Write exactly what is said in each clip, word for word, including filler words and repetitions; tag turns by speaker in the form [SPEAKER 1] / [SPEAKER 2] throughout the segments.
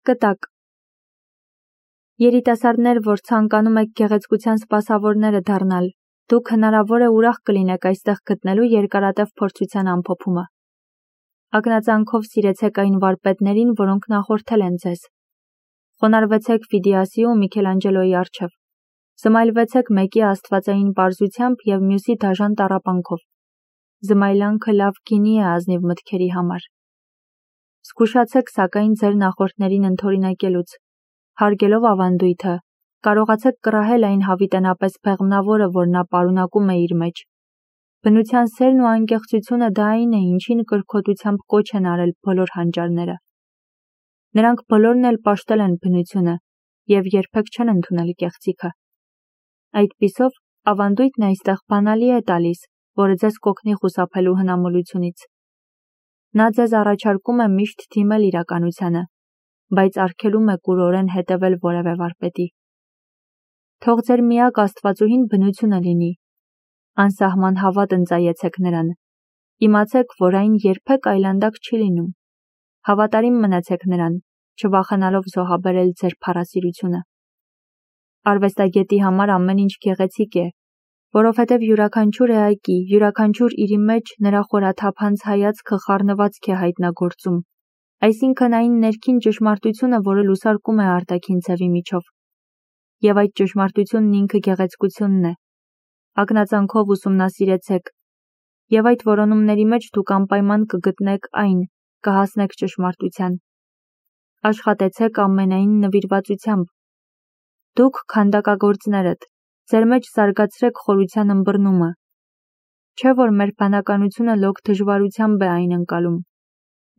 [SPEAKER 1] Կտակ։ Երիտասարդներ, որ ցանկանում եք գեղեցկության սպասավորները դառնալ, դուք հնարավոր է ուրախ կլինեք այստեղ գտնելու երկարատև փորձության ամփոփումը։ Ակնածանքով սիրեցեք այն վարպետներին, որոնք նախորդել են ձեզ։ Խոնարհվեցեք Ֆիդիասի ու Միքելանջելոյի առջև։ Զմայլվեցեք մեկի աստվածային պարզությամբ և մյուսի դաժան տառապանքով։ Զմայլանքը լավ գինի է ազնիվ մտքերի համար։ Զգուշացեք սակայն ձեր նախորդներին ընդօրինակելուց։ Հարգելով ավանդույթը, կարողացեք կռահել այն հավիտենապես բեղմնավորը, որ նա պարունակում է իր մեջ։ Բնության սերն ու անկեղծությունը դա այն է, ինչին կրքոտությամբ կոչ են արել բոլոր հանճարները։ Նրանք բոլորն էլ պաշտել են բնությունը և երբեք չեն ընդունել կեղծիքը։ Այդպիսով, ավանդույթն այստեղ բանալի է տալիս, որը ձեզ կօգնի խուսափելու հնամոլությունից։ Նա ձեզ առաջարկում է միշտ դիմել իրականությանը, բայց արգելում է կուրորեն հետևել որևէ վարպետի։ Թող ձեր միակ աստվածուհին բնությունը լինի։ Անսահման հավատ ընծայեցեք նրան։ Իմացեք, որ այն երբեք այլանդակ չի լինում։ Հավատարիմ մնացեք նրան, չվախենալով զոհաբերել ձեր փառասիրությունը։ Արվեստագետի համար ամեն ինչ գեղեցիկ է, որովհետև յուրաքանչյուր էակի, յուրաքանչյուր իրի մեջ նրա խորաթափանց հայացքը խառնվածք է հայտնագործում, այսինքն այն ներքին ճշմարտությունը, որը լուսարկում է արտաքին ձևի միջով։ Եվ այդ ճշմարտությունն ինքը գեղեցկությունն է։ Ակնածանքով ուսումնասիրեցեք, և այդ որոնումների մեջ դուք անպայման կգտնեք այն, կհասնեք ճշմարտության։ Աշխատեցեք ամենայն նվիրվածությամբ։ Դուք քանդակագործներդ, ձեր մեջ զարգացրեք խորության ըմբռնումը։ Չէ՞ որ մեր բանականությունը լոկ դժվարությամբ է այն ընկալում։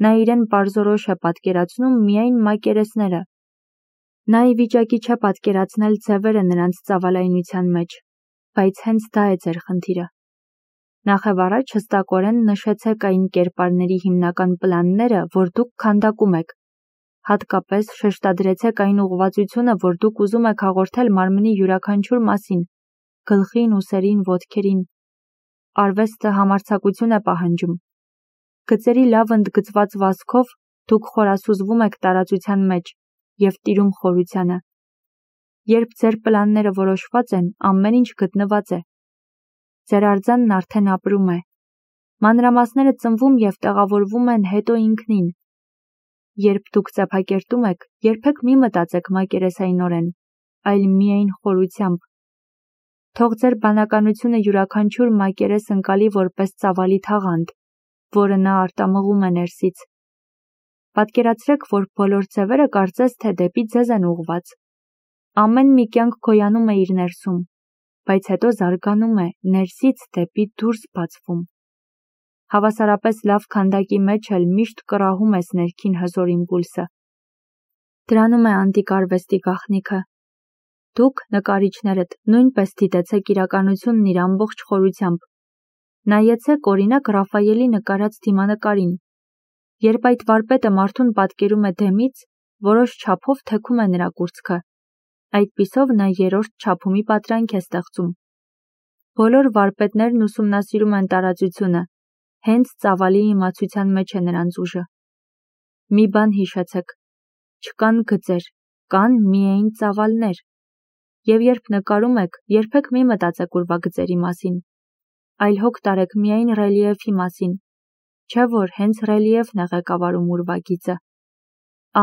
[SPEAKER 1] Նա իրեն պարզորոշ է պատկերացնում միայն մակերեսները։ Նա ի վիճակի չէ պատկերացնել ձևերը նրանց ծավալայնության մեջ, բայց հենց դա է ձեր խնդիրը։ Նախևառաջ հստակորեն նշեցեք այն կերպարների հիմնական պլանները, որ դուք քանդակում եք։ Հատկապես շեշտադրեցեք այն ուղղվածությունը, որ դուք ուզում եք հաղորդել մարմնի յուրաքանչյուր մասին, գլխին, ուսերին, ոտքերին։ Արվեստը համարձակություն է պահանջում։ Գծերի լավ ընդգծված վազքով դուք խորասուզվում եք տարածության մեջ և տիրում խորությանը։ Երբ ձեր պլանները որոշված են, ամեն ինչ գտնված է։ Ձեր արձանն արդեն ապրում է։ Մանրամասները ծնվում և տեղավորվում են հետո ինքնին։ Երբ դուք ծեփակերտում եք, երբեք մի մտածեք մակերեսայնորեն, այլ միայն խորությամբ։ Թող ձեր բանականությունը յուրաքանչյուր մակերես ընկալի որպես ծավալի թաղանթ, որը նա արտամղում է ներսից։ Պատկերացրեք, որ բոլոր ձևերը կարծես թե դեպի ձեզ են ուղղված։ Ամեն մի կյանք գոյանում է իր ներսում, բայց հետո զարգանում է, ներսից դեպի դուրս բացվում։ Հավասարապես լավ քանդակի մեջ էլ միշտ կռահում ես ներքին հզոր իմպուլսը։ Դրանում է անտիկ արվեստի գաղտնիքը։ Դուք, նկարիչներդ, նույնպես դիտեցեք իրականությունն իր ամբողջ խորությամբ։ Նայեցեք օրինակ Ռաֆայելի նկարած դիմանկարին։ Երբ այդ վարպետը մարդուն պատկերում է դեմից, որոշ չափով թեքում է նրա կուրծքը։ Այդպիսով նա երրորդ չափումի պատրանք է ստեղծում։ Բոլոր վարպետներն ուսումնասիրում են տարածությունը, հենց ծավալի իմացության մեջ է նրանց ուժը։ Մի բան հիշեցեք. չկան գծեր, կան միայն ծավալներ։ Եվ երբ նկարում եք, երբեք մի մտածեք ուրվագծերի մասին, այլ հոգ տարեք միայն ռելիեֆի մասին, չէ՞ որ հենց ռելիեֆն է ղեկավարում ուրվագիծը։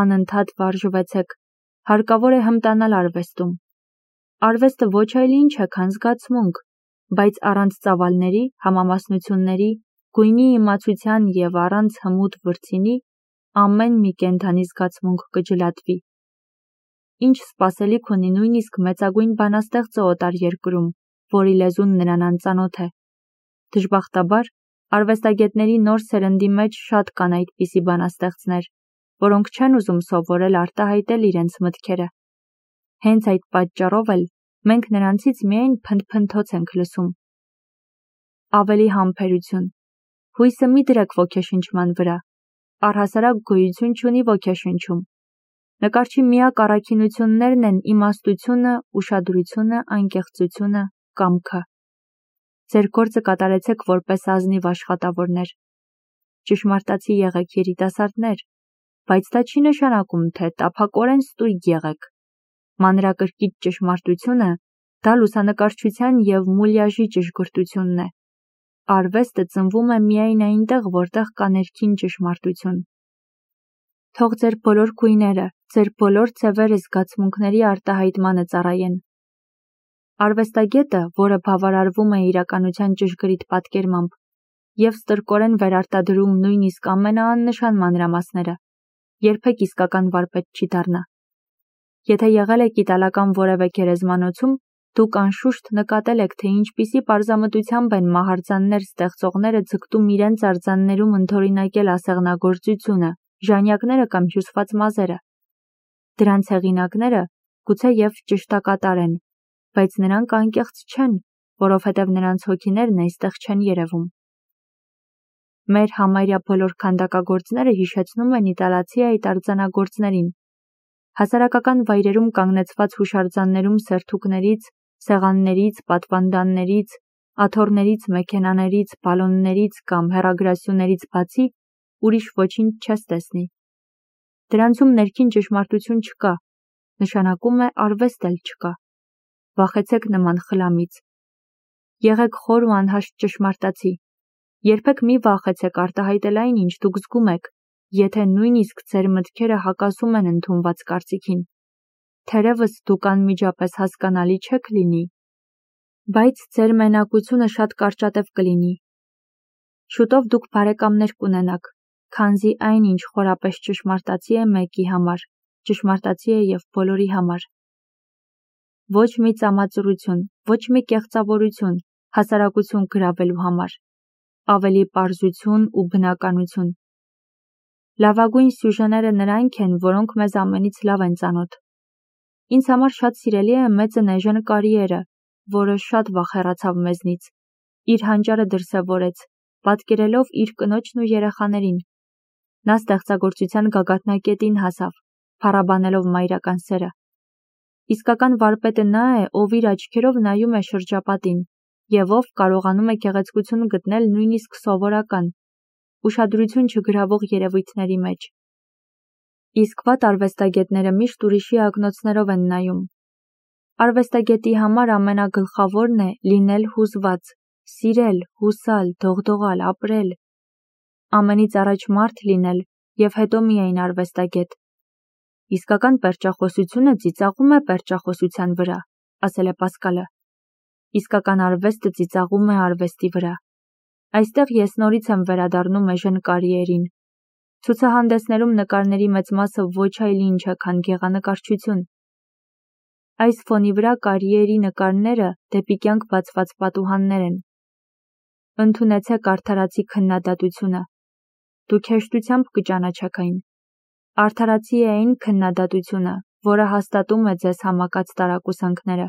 [SPEAKER 1] Անընդհատ վարժվեցեք, հարկավոր է հմտանալ արվեստում։ Արվեստը ոչ այլ ինչ է, քան զգացմունք, բայց առանց ծավալների, համամասնությունների, գույնի իմացության և առանց հմուտ վրձինի, ամեն մի կենդանի զգացմունք կջլատվի։ Ինչ սպասելիք ունի նույնիսկ մեծագույն բանաստեղծը օտար երկրում, որի լեզուն նրան անծանոթ է։ Դժբախտաբար, արվեստագետների նոր սերնդի մեջ շատ կան այդպիսի բանաստեղծներ, որոնք չեն ուզում սովորել արտահայտել իրենց մտքերը։ Հենց այդ պատճառով էլ մենք նրանցից միայն փնթփնթոց ենք լսում։ Ավելի համբերություն։ Հույսը մի դրեք ոգեշնչման վրա։ Առհասարակ գոյություն չունի ոգեշնչում։ Նկարչի միակ առաքինություններն են իմաստությունը, ուշադրությունը, անկեղծությունը, կամքը։ Ձեր գործը կատարեցեք որպես ազնիվ աշխատավորներ։ Ճշմարտացի եղեք երիտասարդներ, բայց դա չի նշանակում, թե տափակորեն ստույգ եղեք։ Մանրակրկիտ ճշմարտությունը դա լուսանկարչության և մուլյաժի ճշգրտությունն է։ Արվեստը ծնվում է միայն այնտեղ, որտեղ կա ներքին ճշմարտություն։ Թող ձեր բոլոր գույները, ձեր բոլոր ձևերը զգացմունքների արտահայտմանը ծառայեն։ Արվեստագետը, որը բավարարվում է իրականության ճշգրիտ պատկերմամբ և ստրկորեն վերարտադրում նույնիսկ ամենաաննշան մանրամասները, երբեք իսկական վարպետ չի դառնա։ Եթե եղել եք իտալական որևէ գերեզմանոցում, դուք անշուշտ նկատել եք, թե ինչպիսի պարզամտությամբ են մահարձաններ ստեղծողները ձգտում իրենց արձաններում ընդօրինակել ասեղնագործությունը, ժանյակները կամ հյուսված մազերը։ Դրանց հեղինակները գուցեև ճշտակատար են, բայց նրանք անկեղծ չեն, որովհետև նրանց հոգիներն այստեղ չեն երևում։ Մեր համարյա բոլոր քանդակագործները հիշեցնում են իտալացի այդ արձանագործներին։ Հասարակական վայրերում կանգնեցված հուշարձաններում սերթուկներից, սեղաններից, պատվանդաններից, աթոռներից, մեքենաներից, բալոններից կամ հեռագրասյուներից բացի ուրիշ ոչինչ չես տեսնի։ Դրանցում ներքին ճշմարտություն չկա, նշանակում է արվեստ էլ չկա։ Վախեցեք նման խլամից։ Եղեք խոր ու անհաշտ ճշմարտացի։ Երբեք մի վախեցեք արտահայտել այն, ինչ դուք զգում եք, եթե նույնիսկ ձեր մտքերը հակասում են ընդունված կարծիքին։ Թերևս դուք անմիջապես հասկանալի չեք լինի, բայց ձեր մենակությունը շատ կարճատև կլինի։ Շուտով դուք բարեկամներ կունենաք, քանզի այն, ինչ խորապես ճշմարտացի է մեկի համար, ճշմարտացի է և բոլորի համար։ Ոչ մի ծամածռություն, ոչ մի կեղծավորություն, հասարակություն գրավելու համար, ավելի պարզություն ու բնականություն։ Լավագույն սյուժեները նրանք են, որոնք մեզ ամենից լավ են ծանոթ։ Ինձ համար շատ սիրելի է մեծն էժան կարիերը, որը շատ վաղ հեռացավ մեզնից, իր հանճարը դրսևորեց, պատկերելով իր կնոջն ու երեխաներին։ Նա ստեղծագործության գագաթնակետին հասավ, փառաբանելով մայրական սերը։ Իսկական վարպետը նա է, ով իր աչքերով նայում է շրջապատին և ով կարողանում է գեղեցկություն գտնել նույնիսկ սովորական, ուշադրություն չգրավող երևույթների մեջ։ Իսկ վատ արվեստագետները միշտ ուրիշի ակնոցներով են նայում։ Արվեստագետի համար ամենագլխավորն է լինել հուզված, սիրել, հուսալ, դողդողալ, ապրել։ Ամենից առաջ մարդ լինել և հետո միայն արվեստագետ։ Իսկական պերճախոսությունը ծիծաղում է պերճախոսության վրա, ասել է Պասկալը։ Իսկական արվեստը ծիծաղում է արվեստի վրա։ Այստեղ ես նորից եմ վերադառնում էժան կարիերին։ Ցուցահանդեսներում նկարների մեծ մասը ոչ այլ ինչ է, քան գեղանկարչություն։ Այս ֆոնի վրա կարիերի նկարները դեպի կյանք բացված պատուհաններ են։ Ընդունեցեք արդարացի քննադատությունը։ Դուք հեշտությամբ կճանաչեք այն։ Արդարացի է այն քննադատությունը, որը հաստատում է ձեզ համակած տարակուսանքները,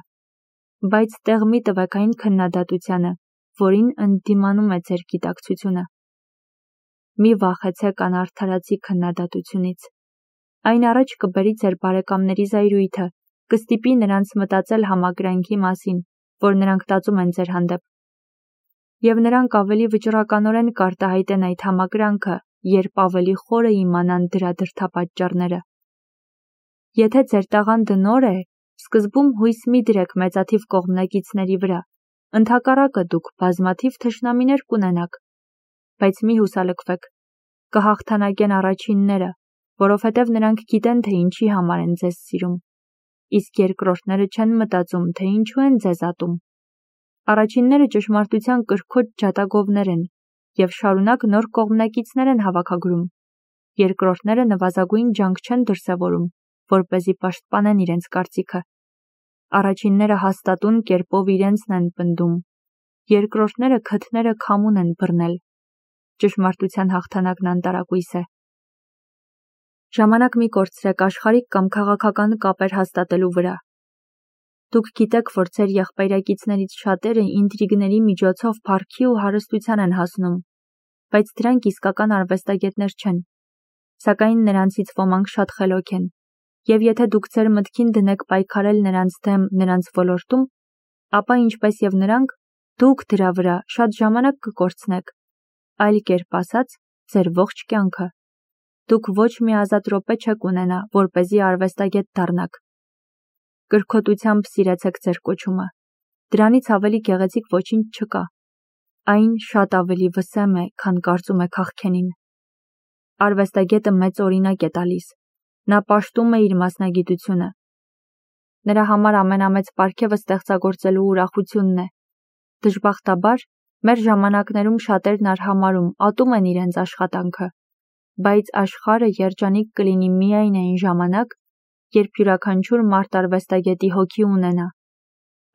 [SPEAKER 1] բայց տեղ մի տվեք այն քննադատությանը, որին ընդդիմանում է ձեր գիտակցությունը։ Մի վախեցեք անարդարացի քննադատությունից։ Այն առաջ կբերի ձեր բարեկամների զայրույթը, կստիպի նրանց մտածել համակրանքի մասին, որ նրանք տածում են ձեր հանդեպ։ Եվ նրանք ավելի վճռականորեն կարտահայտեն այդ համակրանքը, երբ ավելի խորը իմանան դրա դրդապատճառները։ Եթե ձեր տաղանդը նոր է, սկզբում հույս մի դրեք մեծաթիվ կողմնակիցների վրա, ընդհակառակը դուք բազմաթիվ թշնամիներ կունենաք, բայց մի հուսալքվեք, կհաղթանակեն առաջինները, որովհետև նրանք գիտեն, թե ինչի համար են ձեզ սիրում, իսկ երկրորդները չեն մտածում, թե ինչու են ձեզ ատում։ Առաջինները ճշմարտության կրքոտ ջատագովներ են և շարունակ նոր կողմնակիցներ են հավաքագրում, երկրորդները նվազագույն ջանք չեն դրսևորում, որպեսզի պաշտպանեն իրենց կարծիքը։ Առաջինները հաստատուն կերպով իրենցն են պնդում, երկրորդները քթները քամուն են բռնել։ Ճշմարտության հաղթանակն անտարակույս է։ Ժամանակ մի կորցրեք աշխարհիկ կամ քաղաքական կապեր հաստատելու վրա։ Դուք գիտեք, որ ձեր եղբայրակիցներից շատերը ինտրիգների միջոցով փառքի ու հարստության են հասնում, բայց դրանք իսկական արվեստագետներ չեն։ Սակայն նրանցից ոմանք շատ խելոք են, և եթե դուք ձեր մտքին դնեք պայքարել նրանց դեմ նրանց ոլորտում, ապա ինչպես և նրանք, դուք դրա վրա շատ ժամանակ կկորցնեք, այլ կերպ ասած, ձեր ողջ կյանքը։ Դուք ոչ մի ազատ րոպե չեք ունենա, որպեսզի արվեստագետ դառնաք։ Կրքոտությամբ սիրեցեք ձեր կոչումը։ Դրանից ավելի գեղեցիկ ոչինչ չկա։ Այն շատ ավելի վսեմ է, քան կարծում եք աղքենին։ Արվեստագետը մեծ օրինակ է տալիս։ Նա պաշտում է իր մասնագիտությունը։ Նրա համար ամենամեծ պարգևը ստեղծագործելու ուրախությունն է։ Դժբախտաբար, մեր ժամանակներում շատերն արհամարհում, ատում են իրենց աշխատանքը, բայց աշխարհը երջանիկ կլինի միայն այն ժամանակ, երբ յուրաքանչյուր մարդ արվեստագետի հոգի ունենա։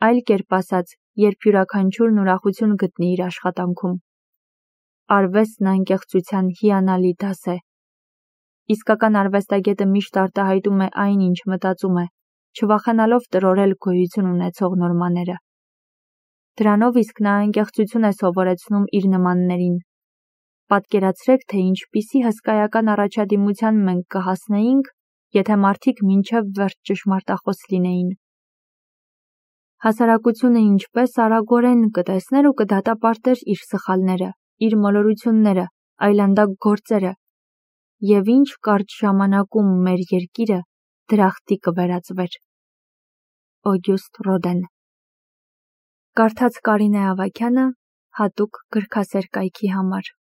[SPEAKER 1] Այլ կերպ ասած, երբ յուրաքանչյուրն ուրախություն գտնի իր աշխատանքում։ Արվեստն անկեղծության հիանալի դաս է։ Իսկական արվեստագետը միշտ արտահայտում է այն, ինչ մտածում է, չվախենալով տրորել գոյություն ունեցող նորմաները։ Դրանով իսկ նա անկեղծություն է սովորեցնում իր նմաններին։ Պատկերացրեք, թե ինչպիսի հսկայական առաջադիմության մենք կհասնեինք, եթե մարդիկ մինչև վերջ ճշմարտախոս լինեին։ Հասարակությունը ինչպես արագորեն կտեսներ ու կդատապարտեր իր սխալները, իր մոլորությունները, այլանդակ գործերը, և ինչ կարճ ժամանակում մեր երկիրը դրախտի կվերածվեր։ Օգյուստ Ռոդեն։ Կարդաց Կարինե Ավագյանը հատուկ գրքասեր կայքի համար։